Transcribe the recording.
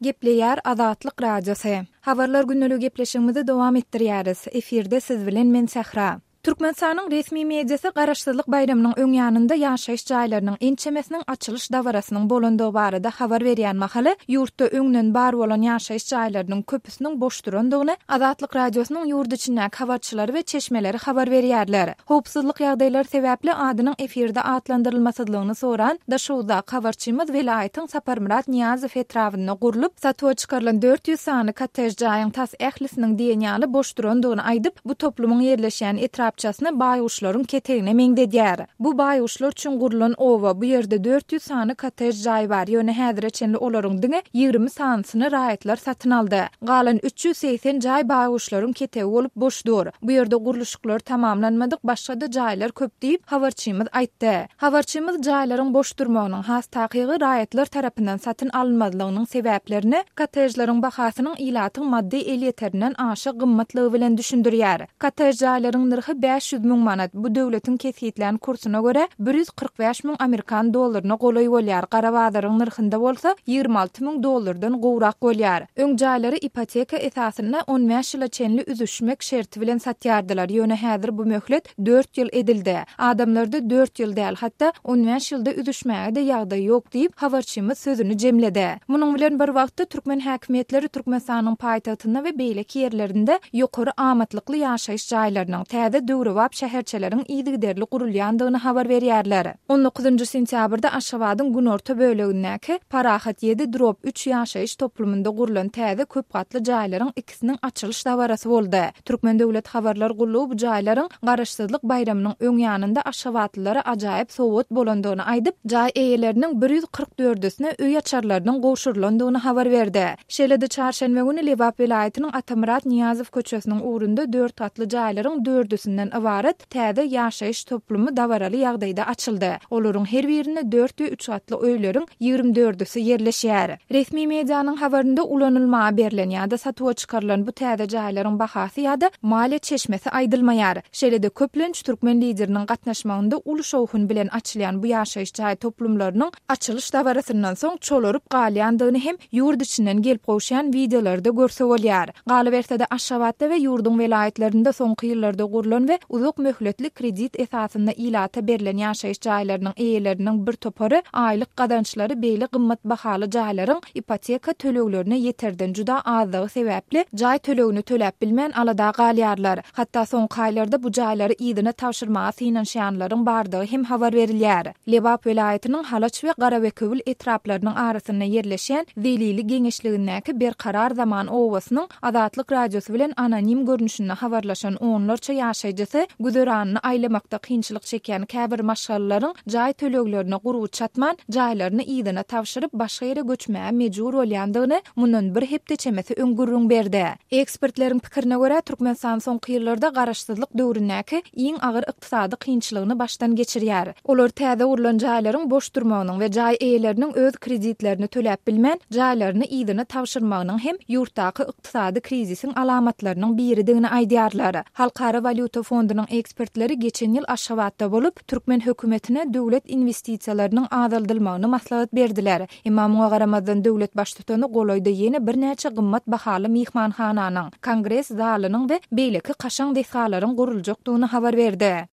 Gepleýär Azatlyk Radiosy. Habarlar gündeligi gepleşigimizi dowam etdirýäris. Efirde siz bilen men Sähra. Türkmenistanyň resmi mediasy Garaşsyzlyk baýramynyň öň ýanynda ýaşaýyş jaýlarynyň ençemesiniň açylyş dabarasynyň bolandygy barada habar berýän mahaly, ýurtda öňden bar bolan ýaşaýyş jaýlarynyň köpüsiniň boş durandygyny Azatlyk Radiosynyň ýurt içindäki habarçylary we çeşmeleri habar berýärler. Howpsuzlyk ýagdaýlary sebäpli adynyň efirde atlandyrylmasyzlygyny soran Daşoguzdaky habarçymyz welaýatyň Saparmyrat Nyýazow etrabynda gurlup, satuwa çykarylan 400 sany kottej jaýyň tas ählisiniň diýen ýaly boş durandygyny aýdyp, bu toplumyň ýerleşýän etrapçasyny baýguşlaryň ketegine meňzedýär. Bu baýguşlar üçin gurlan oba, bu ýerde 400 sany kottej jaý bar, ýöne häzire çenli olaryň diňe 20 sanysyny raýatlar satyn aldy. Galan 380 jaý baýguşlaryň ketegi bolup boş dur. Bu ýerde gurluşyklary tamamlanmadyk başga-da jaýlar köp diýip, habarçymyz aýtdy. Habarçymyz jaýlaryň boş durmagynyň, has takygy raýatlar tarapyndan satyn alynmazlygynyň sebäplerini kottejleriň bahasynyň ilatyň maddy elýeterinden aşa gymmatlygy bilen düşündirýär. Kottej jaýlaryň nyrhy 500 müň manat, bu döwletiň kesgitlän kursuna görä, 145 müň amerikan dollaryna golaý bolýar, gara bazaryň nyrhynda bolsa 26 müň dollardan gowrak bolýar. Öň jaýlary ipoteka esasynda on bäş ýyla çenli üzüşmek şerti bilen satýardylar, ýöne häzir bu möhlet dört ýyl edildi. Adamlarda dört ýyl däl, hatda on bäş ýylda üzüşmäge-de ýagdaý ýok diýip, habarçymyz sözüni jemledi. Munuň bilen bir wagtda, türkmen häkimiýetleri Türkmenistanyň paýtagtynda we beýleki ýerlerinde ýokary amatlykly ýaşaýyş jaýlarynyň, täze döwrebap şäherçeleriň yzygiderli gurulýandygyny habar berýärler. On dokuzynjy sentýabrda Aşgabadyň günorta bölegindäki Parahat ýedi drob üç ýaşaýyş toplumynda gurlan täze köp gatly jaýlaryň ikisiniň açylyş dabarasy boldy. Türkmen döwlet habarlar gullugy bu jaýlaryň Garaşsyzlyk baýramynyň öň ýanynda aşgabatlylara ajaýyp sowgat bolandygyny aýdyp, jaý eýeleriniň bir ýüz kyrk dördüsine öý açarlarynyň gowşurylandygyny habar berdi. Şeýle-de çarşenbe güni Lebap welaýatynyň Atamyrat Nyýazow köçesiniň ugrunda dört gatly jaýlaryň dördüsinden ybarat Täze ýaşaýyş toplumy dabaraly ýagdaýda açyldy. Olaryň her birinde dört we üç gatly öýleriň ýigrimi dördüsi ýerleşýär. Resmi medianyň habarynda ulanylmaga berlen ýa-da satuwa çykarylan bu täze jaýlaryň bahasy ýa-da maliýe çeşmesi aýdylmaýar. Şeýle-de köplenç türkmen Lideriniň gatnaşmagynda uly şowhun bilen açylýan bu ýaşaýyş jaý toplumlarynyň açylyş dabarasyndan soň çolaryp galýandygyny hem ýurt içinden gelip gowuşýan wideolarda görse bolýar. Galyberse-de, Aşgabatda we ýurduň welaýatlarynda soňky ýyllarda gurlan we uzak möhletli kredit esasynda ilata berlen ýaşaýyş jaýlarynyň eýeleriniň bir topary aýlyk gazançlary beýle gymmat bahaly jaýlaryň ipoteka töleglerine ýeterden juda azlygy sebäpli jaý tölegini töläp bilmän alada galýarlar. Hatda soňky aýlarda bu jaýlary yzyna tabşyrmaga synanyşýanlaryň bardygy hem habar berilýär. Lebap welaýatynyň Halaç we Garabekewül etraplarynyň arasynda ýerleşýän Zelili geňeşligindäki Berkarar zaman obasynyň Azatlyk Radiosy bilen anonim görnüşinde habarlaşan onlarça ýaşaýjysy güzeranyny aýlamakda kynçylyk çekýän käbir maşgalalaryň jaý töleglerine gurby çatman, jaýlaryny yzyna tabşyryp, başga ýere göçmäge mejbur bolýandygyny mundan bir hepde çemesi öň gürrüň berdi. Ekspertleriň pikirine görä, Türkmenistan soňky ýyllarda garaşsyzlyk döwründäki iň agyr ykdysady kynçylygyny başdan geçirýär. Olar täze gurlan jaýlaryň boş durmagynyň we jaý eýeleriniň öz kreditlerini töläp bilmän, jaýlaryny yzyna tabşyrmagynyň hem ýurtdaky ykdysady krizisiň alamatlarynyň biridigini aýdýarlar. Halkara walýuta fondunyň ekspertleri geçen ýyl Aşgabatda bolup, türkmen hökümetine döwlet inwestisiýalarynyň azaldylmagyny maslahat berdiler. Emma muňa garamazdan döwlet baştutany golaýda ýene birnäçe gymmat bahaly myhmanhananyň, kongres zalynyň we beýleki kaşaň desgalaryň guruljakdygyny habar berdi.